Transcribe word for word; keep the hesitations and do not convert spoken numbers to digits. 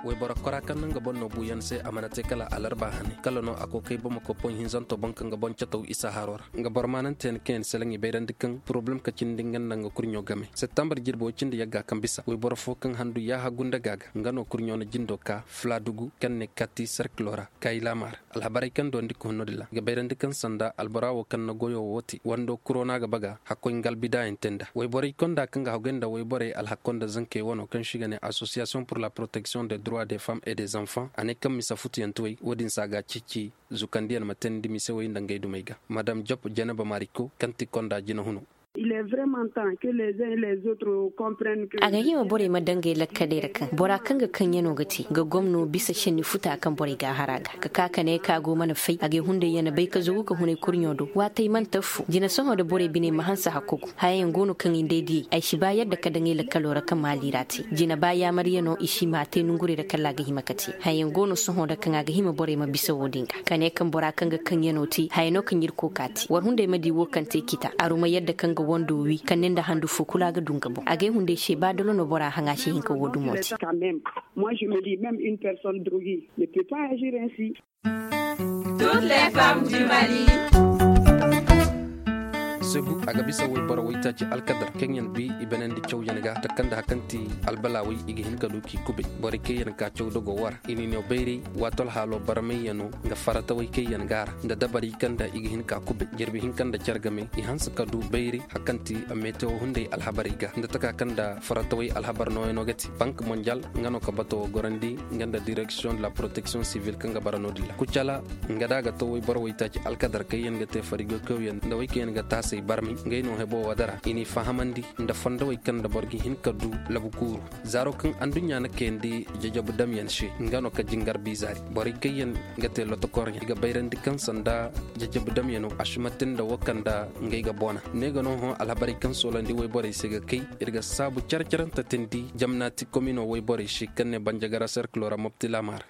Wayboro kora kaŋ no nga boŋ no buuyaŋ se a mana te kala alarba hane kala no a kookay bamako poŋ hinzanto boŋ kaŋ ga boŋ cataw isa haro ra nga boro maananteyaŋ kaŋ yaŋ selaŋ i bayrandi kaŋ poroblem ka cindi nga nda nga kurɲo game septembre jirbi way cindi yagga kaŋ bisa wayboro fo kaŋ handu yaaha gunda ga ga nga no kurɲo na jindo ka fuladugu kaŋ ne kati serkilo ra kayi laama ra. Alhabarey kaŋ dondi ka hun no- din ra ga bayrandi kaŋ sanda albora wo kaŋ na goyo wo te wando kuro no a ga baga hakkoy ngalbi daayaŋ te nd'a wayborey konda kaŋ ga haggoy nda wayborey alhakko nda zankey wano kaŋ se i ga ne association pour la protection des droits des femmes et des enfants a ne kaŋ misa futuyaŋ te way wo- din se a ga a ceeci zukandiyaŋ ma teendi misewey nda ngey dumey ga madame job jeneba mariko kaŋ ti konda jina huno. A ga hima borey ma daŋ ngey lakkaley ra kaŋ bora kaŋ ga kaŋ yaŋo ga te ga gomno bisa senni futa kaŋ borey ga a har a ga ga ka ka ne ka go mana fay a ga ay hunday yaŋ na bay ka zagu ka hunay kurɲo do waatey mana taffo jina sohõ nda borey biney ma hanse hakkogu haya yaŋ go no kaŋ i nda ay diyey ay si ba yadda ka daŋ ay lakkalo ra kaŋ maali ra te jina ba yaamar yaŋo i si ma a te nongurey ra kala a ga hima ka te haya yaŋ go no sohõ nda kaŋ a ga hima borey ma bisa wo- din ga ka ne kaŋ bora kaŋ ga kaŋ yaŋo te haya no kaŋ irkoy ka te war hunday ma di wo kaŋ te kita aru ma yadda kaŋ ga wando wi kaŋ ne nda handu fo kulu a ga du nga boŋ a ga ay hunday se ba dolo no bora haŋ a si hin ka wo- dumo te. Sebu a ga bisa wayboro waytaaci alkadar kaŋ yaŋ bi i banandi cawyaŋ ga takanda hakanti albalaawey i ga hin ka du k'i kubay borey kaŋ yaŋ ka caw dogo wara i n'i no bayray waato alhaalo barmayyaŋo nga faratawey kaŋ yaŋ ga a ra nda dabarey kaŋ nda i ga hin ka kubay jirbi hinka nda care game i hanse ka du bayray hakanti metewo hunday alhabarey ga nda taka kaŋ nda faratawey alhabar nooyaŋo ga te bank mondial nga no ka bato wo gorandi nga nda direction de la protection civile kaŋ ga bara no- din ra kucala nga da a ga to wayboro waytaaci alkadar kaŋ yaŋ ga te farigo kawyaŋ nda way kaŋ yaŋ ga taasay barmay ngey no hebo wadara i n'i fahamandi nda fondowey kaŋ nda boro ga hin ka du labu kuuru zaaro kaŋ anduɲɲa na kayandi jajabu damyaŋ se nga no ka jingar bizaari borey kaŋ yaŋ ga te lotokoryaŋ i ga bayrandi kaŋ sanda jajabu damyaŋo a si mate nda wo kaŋ nda ngey ga boona ne ga no hõ alhabarey kaŋ soolandi wayborey se ga kay iri ga saabu care-carante teendi jamnaati komino wayborey se kaŋ ne banjagara serkilo ra mopti laama ra.